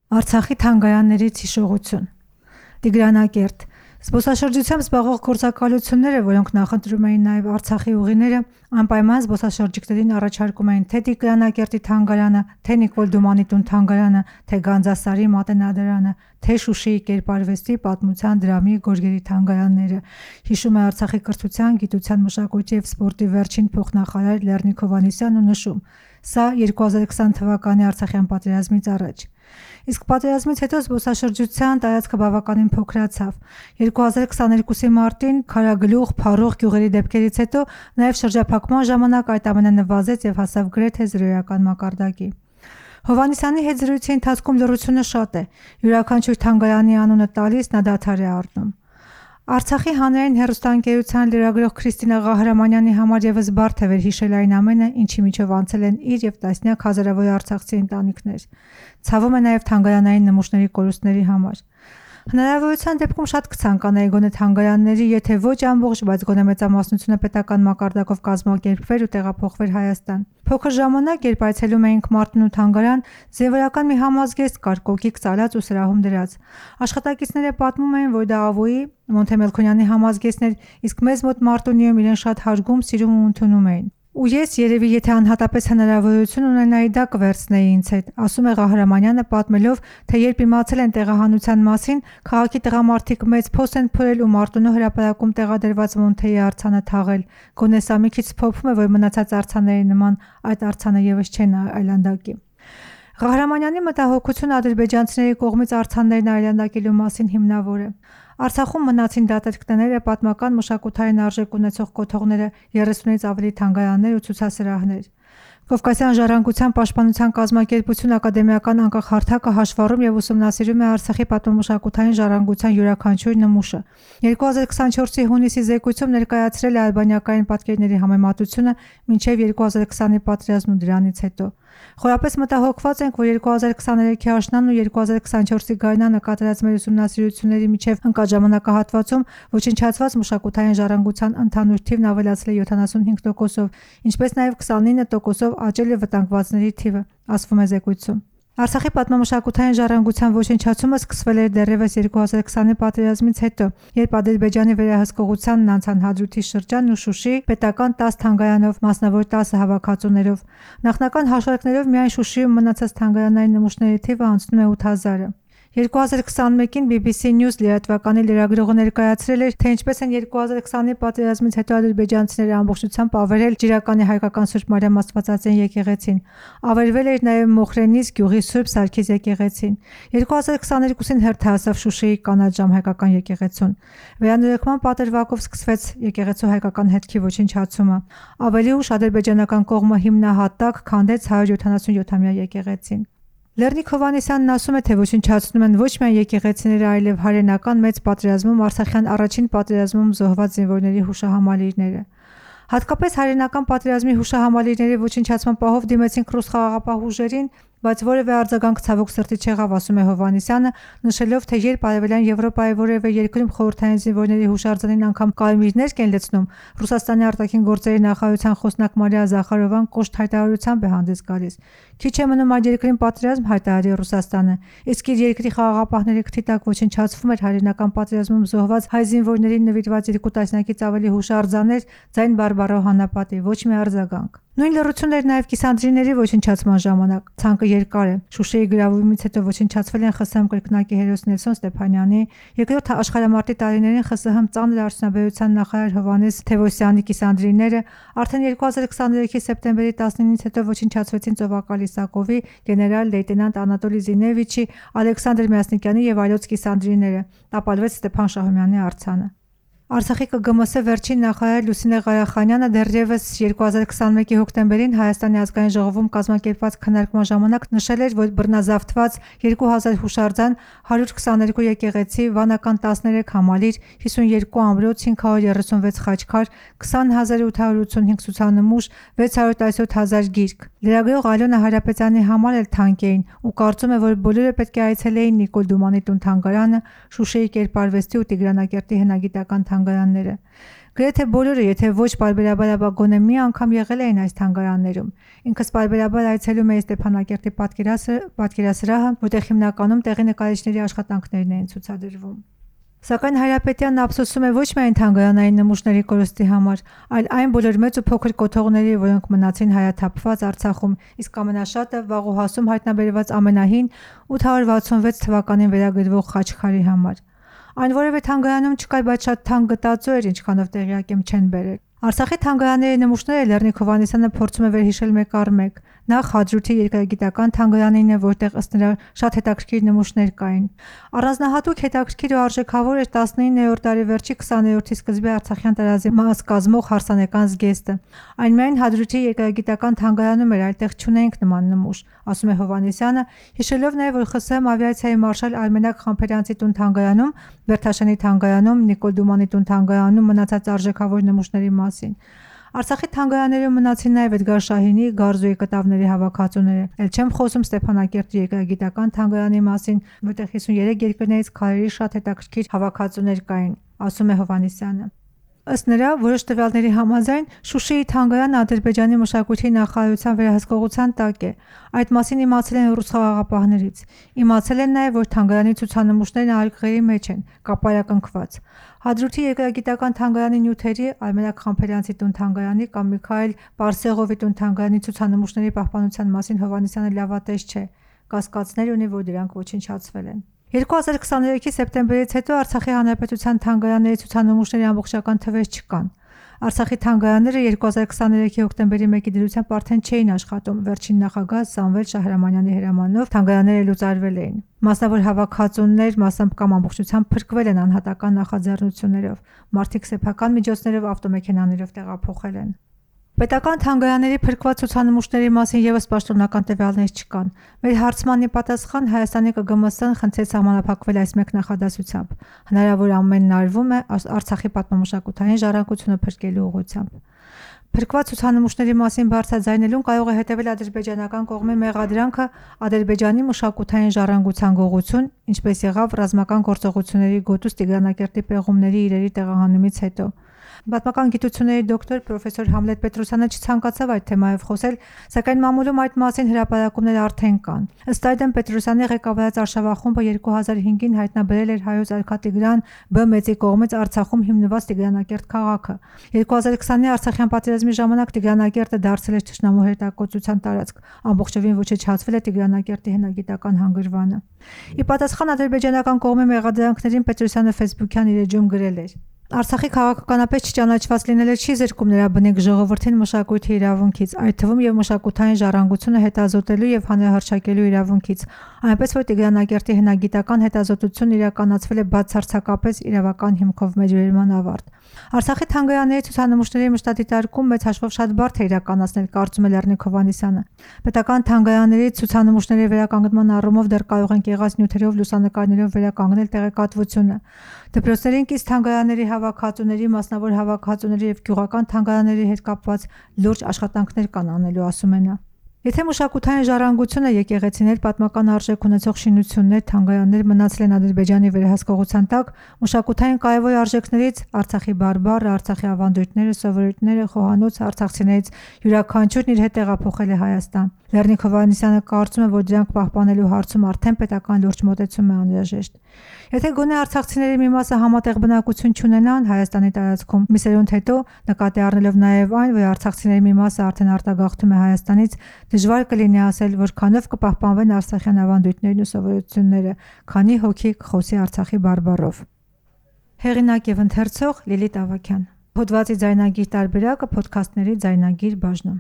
Արցախի թանգարաններից հիշողություն։ Տիգրանակերտ։ Զբոսաշրջությամբ զբաղվող գործակալությունները, որոնք նախընտրում էին նաև Արցախի ուղիները, անպայման զբոսաշրջիկներին առաջարկում էին թե Տիգրանակերտի թանգարանը, թե Նիկոլ Դումանի տուն թանգարանը, թե Գանձասարի մատենադարանը, թե Շուշիի կերպարվեստի, պատմության, դրամի, գորգերի թանգարանները, հիշում է Արցախի կրթության, գիտության, մշակույթի և սպորտի վերջին փոխնախարար Լեռնիկ Հովհաննիսյանն ու նշում. Սա 2020 թվականի Արցախյան պատերազմից առաջ։ Իսկ պատերազմից հետո զբոսաշրջության տարածքը բավականին փոքրացավ։ 2022-ի մարտին Քարագլուխ, Փառուխ գյուղերի դեպքերից հետո նաև շրջափակման ժամանակ այդ ամենը նվազեց և հասավ գրեթե զրոյական մակարդակի։ Հովհաննիսյանի հետ զրույցի ընթացքում լռությունը շատ է։ Յուրաքանչյուր թանգարանի անունը տալիս նա դադար է առնում։ Արցախի հանրային հեռուստաընկերության լրագրող Քրիստինա Ղահրամանյանի համար ևս բարդ է վերհիշել այն ամենը, ինչի միջով անցել են իր և տասնյակ հազարավոր արցախցի ընտանիքներ։ Ցավում է նաև թանգարանային նմուշների կորուստների համար։ Հնարավորության դեպքում շատ կցանկանայի գոնե թանգարանների, եթե ոչ ամբողջ, բայց գոնե մեծամասնությունը պետական մակարդակով կազմակերպվեր ու տեղափոխվեր Հայաստան։ Փոքր ժամանակ, երբ այցելում էինք Մարտունու թանգարան, զինվորական մի համազգեստ կար, կոկիկ ծալած ու սրահում դրած։ Աշխատակիցները պատմում էին, որ դա Ավոյի, Մոնթե Մելքոնյանի համազգեստն էր, իսկ մեզ մոտ Մարտունիում իրեն շատ հարգում, սիրում ու ընդունում էին։ Ու ես երևի եթե անհատապես հնարավորություն ունենայի դա կվերցնեի ինձ հետ, ասում է Ղահրամանյանը, պատմելով, թե երբ իմացել են տեղահանության մասին, քաղաքի տղամարդիկ մեծ փոս են փորել ու Մարտունու հրապարակում տեղադրված Մոնթեի արձանը թաղել։ Գոնե սա մի քիչ սփոփում է, որ մնացած արձանների նման այդ արձանը ևս չեն այլանդակի։ Ղահրամանյանի մտահոգությունը ադրբեջանցիների կողմից արձաններն այլանդակելու մասին հիմնավոր է։ Արցախում մնացին դատարկները, պատմական մշակութային արժեք ունեցող կոթողները, 30-ից ավելի թանգարաններ ու ցուցասրահներ։ Կովկասյան ժառանգության պաշտպանության կազմակերպություն ակադեմիական անկախ հարթակը հաշվառում և ուսումնասիրում է Արցախի պատմամշակութային ժառանգության յուրաքանչյուր նմուշը։ 2024-ի հունիսի զեկույցում ներկայացրել է ալբանիակային պատկերների համեմատությունը մինչև 2020-ի պատերազմն ու դրանից հետո։ Խորապես մտահոգված ենք, որ 2023-ի աշնանն ու 2024-ի գարնանը կատարած մեր ուսումնասիրությունների միջև ընկած ժամանակահատվածում ոչնչացված մշակութային ժառանգության ընդհանուր թիվն ավելացել է 75%-ով, ինչպես նաև 29%-ով աճել է վտանգվածների թիվը, ասվում է զեկույցում։ Արցախի պատմամշակութային ժառանգության ոչնչացումը սկսվել էր դեռևս 2020-ի պատերազմից հետո, երբ Ադրբեջանի վերահսկողությանն անցան Հադրութի շրջանն ու Շուշի պետական 10 թանգարանով, մասնավոր 10 հավաքածուներով։ Նախնական հաշվարկներով միայն Շուշիում մնացած թանգարանային նմուշների թիվը անցնում է 8000-ը։ 2021-ին BBC News լրատվականի լրագրողը ներկայացրել էր, թե ինչպես են 2020-ի պատերազմից հետո ադրբեջանցիները ամբողջությամբ ավերել Ջիրականի հայկական Սուրբ Մարիամ Աստվածածին եկեղեցին։ Ավերվել էր նաև Մոխրենից գյուղի Սուրբ Սարգիս եկեղեցին։ 2022-ին հերթ հասավ Շուշիի կանաչ ժամ հայկական եկեղեցուն։ Վերանորոգման պատրվակով սկսվեց եկեղեցու հայկական հետքի ոչնչացումը։ Ավելի ուշ ադրբեջանական կողմը հիմնահատակ քանդեց 177-ամյա եկեղեցին։ Լեռնիկ Հովհաննիսյանն ասում է, թե ոչնչացնում են ոչ միայն եկեղեցիները, այլև հայրենական մեծ պատերազմում, Արցախյան առաջին պատերազմում զոհված զինվորների հուշահամալիրները։ Հատկապես հայրենական պատերազմի հուշահամալիրների ոչնչացման պահով դիմեցինք ռուս խաղաղապահ ուժերին, բայց որևէ արձագանք ցավոք սրտի չեղավ, ասում է Հովհաննիսյանը, նշելով, թե երբ Արևելյան Եվրոպայի որևէ երկրում խորհրդային զինվորների հուշարձանին անգամ կարմիրներ կեն լցնում, Ռուսաստանի արտաքին գործերի նախարարության խոսնակ Մարիա Զախարովան կոշտ հայտարարությամբ է հանդես գալիս։ Քիչ է մնում այդ երկրին պատերազմ հայտարարի Ռուսաստանը, իսկ իր երկրի խաղաղապահների քթի տակ ոչնչացվում էր հայրենական պատերազմում զոհված հայ զինվորներին նվիրված 2 տասնյակից ավելի հուշարձաններ, ձայն բարբառո հանապատի, ոչ մի արձագանք։ Նույն լռությունն էր նաև կիսանդրիների ոչնչացման ժամանակ։ Ցանկը երկար է։ Շուշիի գրավումից հետո ոչնչացվել են ԽՍՀՄ կրկնակի հերոս Նելսոն Ստեփանյանի, երկրորդ աշխարհամարտի տարիներին ԽՍՀՄ ծանր արդյունաբերության նախարար Հովհաննես Թևոսյանի կիսանդրիները, արդեն 2023-ի սեպտեմբերի 19-ից հետո ոչնչացվեցին Ծովակալ Իսակովի, գեներալ լեյտենանտ Անատոլի Զինևիչի, Ալեքսանդր Մյասնիկյանի եւ այլոց կիսանդրիները, տապալվեց Ստեփան Շահումյանի արձանը։ Արցախի ԿԳՄՍ վերջին նախարար Լուսինե Ղարախանյանը դեռևս 2021-ի հոկտեմբերին Հայաստանի ազգային ժողովում կազմակերպված քննարկման ժամանակ նշել էր, որ բռնազավթված 2000 հուշարձան, 122 եկեղեցի, վանական 13 համալիր, 52 ամրոց, 536 խաչքար, 20885 ցուցանմուշ, 617 000 գիրք։ Լրագրող Ալոնա Հարապետյանի համար էլ թանկ էին ու կարծում է, որ բոլորը պետք է այցելեին Նիկոլ Դումանի տուն թանգարանը, Շուշիի կերպարվեստի ու Տիգրանակերտի հնագիտական թանգարանները։ Գրեթե բոլորը, եթե ոչ պարբերաբար, ապա գոնե մի անգամ եղել էին այս թանգարաններում։ Ինքս պարբերաբար այցելում էի Ստեփանակերտի պատկերասրահը, որտեղ հիմնականում տեղի նկարիչների աշխատանքներն էին ցուցադրվում։ Սակայն Հայրապետյանն ափսոսում է ոչ միայն թանգարանային նմուշների կորստի համար, այլ այն բոլոր մեծ ու փոքր կոթողների, որոնք մնացին հայաթափված Արցախում, իսկ ամենաշատը Վաղուհասում հայտնաբերված ամենահին 866 թվականին վերագրվող խաչքարի համար։ Այն որևէ թանգարանում չկար, բայց շատ թանկ գտածո էր, ինչքանով տեղյակ եմ չեն բերել։ Արցախի թանգարանների նմուշները Լեռնիկ Հովհաննիսյանը փորձում է վերհիշել մեկ առ մեկ։ Նախ Հադրութի երկրագիտական թանգարանին է, որտեղ ըստ նրա շատ հետաքրքիր նմուշներ կային։ Առանձնահատուկ հետաքրքիր ու արժեքավոր էր 19-րդ դարի վերջի 20-րդի սկզբի Արցախյան տարածի մաս կազմող հարսանեկան զգեստը։ Այն միայն Հադրութի երկրագիտական թանգարանում էր, այդտեղ չունեինք նման նմուշ, ասում է Հովհաննիսյանը, հիշելով նաև, որ ԽՍՀՄ ավիացիայի մարշալ Արմենակ Խամփերյանցի տուն թանգարանում, Վերթաշանի թանգարանում, Նիկոլ Դումանի տուն թանգարանում մնացած արժեքավոր նմուշների մասին։ Արցախի թանգարաններում մնացին նաև Էդգար Շահինի Գարզուի կտավների հավաքածուները։ Էլ չեմ խոսում Ստեփանակերտի երկրագիտական թանգարանի մասին, որտեղ 53 երկրներից քարերի շատ հետաքրքիր հավաքածուներ կային, ասում է Հովհաննիսյանը։ Ըստ նրա, որոշ տվյալների համաձայն Շուշիի թանգարանը Ադրբեջանի մշակույթի նախարարության վերահսկողության տակ է։ Այդ մասին իմացել են ռուս խաղաղապահներից։ Իմացել են նաև, որ թանգարանի ցուցանմուշներն արկղերի մեջ են, կապարակնքված։ Հադրութի երկրագիտական թանգարանի նյութերի, Արմենակ Խամփերյանցի տուն թանգարանի կամ Միքայել Պարսեղովի տուն թանգարանի ցուցանմուշների պահպանության մասին Հովհաննիսյանը լավատես չէ, կասկածներ ունի, որ դրանք ոչնչացվել են։ 2023-ի սեպտեմբերից հետո Արցախի Հանրապետության թանգարանների ցուցանմուշների ամբողջական թվեր չկան։ Արցախի թանգարանները 2023-ի հոկտեմբերի 1-ի դրությամբ արդեն չէին աշխատում։ Վերջին նախագահ Սամվել Շահրամանյանի հրամանով թանգարանները լուծարվել էին։ Մասնավոր հավաքածուներ մասամբ կամ ամբողջությամբ փրկվել են անհատական նախաձեռնություններով։ Մարդիկ սեփական միջոցներով ավտոմեքենաներով տեղափոխել են։ Պետական թանգարանների փրկված ցուցանմուշների մասին ևս պաշտոնական տվյալներ չկան։ Մեր հարցման ի պատասխան Հայաստանի ԿԳՄՍ-ն խնդրեց սահմանափակվել այս մեկ նախադասությամբ։ Հնարավոր ամենն արվում է Արցախի պատմամշակութային ժառանգությունը փրկելու ուղղությամբ։ Փրկված ցուցանմուշների մասին բարձրաձայնելուն կարող է հետևել ադրբեջանական կողմի մեղադրանքը Ադրբեջանի մշակութային ժառանգության գողություն, ինչպես եղավ ռազմական գործողությունների գոտուց Տիգրանակերտի պեղումների իրերի տեղահանումից հետո։ Պատմական գիտությունների դոկտոր պրոֆեսոր Համլետ Պետրոսյանը չցանկացավ այդ թեմայով խոսել, սակայն մամուլում այդ մասին հրապարակումներ արդեն կան։ Ըստ այդմ Պետրոսյանի ղեկավարած Արշավախումբը 2005-ին հայտնաբերել էր հայոց արքա Տիգրան B մեծի կողմից Արցախում հիմնված Տիգրանակերտ քաղաքը։ 2020-ի Արցախյան պատերազմի ժամանակ Տիգրանակերտը դարձել էր թշնամու հետակոծության տարածք, ամբողջովին ոչնչացվել է Տիգրանակերտի հնագիտական հանգրվանը։ Ի պատասխան ադրբեջանական կողմի մեղադրանքներին Պետրոսյանը Facebook-յան իր էջում գրել էր. Արցախի քաղաքականապես չճանաչված լինելը չի զրկում նրա բնիկ ժողովրդին մշակույթի իրավունքից, այդ թվում եւ մշակութային ժառանգությունը հետազոտելու եւ հանրահռչակելու իրավունքից, այնպես որ Տիգրանակերտի հնագիտական հետազոտությունն իրականացվել է բացարձակապես իրավական հիմքով մեջբերման ավարտ։ Արցախի թանգարանների ցուցանմուշների մշտադիտարկում մեծ հաշվով շատ բարդ է իրականացնել, կարծում է Լեռնիկ Հովհաննիսյանը։ Պետական թանգարանների ցուցանմուշների վերականգնման առումով դեռ կարող են եղած նյութերով, լուսանկարներով վերականգնել տեղեկատվությունը։ Դպրոցներին կից թանգարանների հավաքածուների, մասնավոր հավաքածուների եւ գյուղական թանգարանների հետ կապված լուրջ աշխատանքներ կան անելու, ասում է նա։ Եթե մշակութային ժառանգությունը, եկեղեցիներ, պատմական արժեք ունեցող շինություններ, թանգարաններ մնացել են Ադրբեջանի վերահսկողության տակ, մշակութային կարևոր արժեքներից Արցախի բարբառը, Արցախի ավանդույթները, սովորույթները, խոհանոցը, արցախցիներից յուրաքանչյուրն իր հետ տեղափոխել է Հայաստան։ Լեռնիկ Հովհաննիսյանը կարծում է, որ դրանք պահպանելու հարցում արդեն պետական լուրջ մոտեցում է անհրաժեշտ։ Եթե գոնե արցախցիների մի մասը համատեղ բնակություն չունենան Հայաստանի տարածքում, մի սերունդ հետո, նկատի առնելով նաև այն, որ արցախցիների մի մասը արդեն արտագաղթում է Հայաստանից, դժվար կլինի ասել, որքանով կպահպանվեն արցախյան ավանդույթներն ու սովորությունները, քանի հոգի կխոսի Արցախի բարբառով։ Հեղինակ եւ ընթերցող Լիլիթ Ավագյան։ Հոդվածի ձայնագիր տարբերակը Փոդքասթների ձայնագիր բաժնում։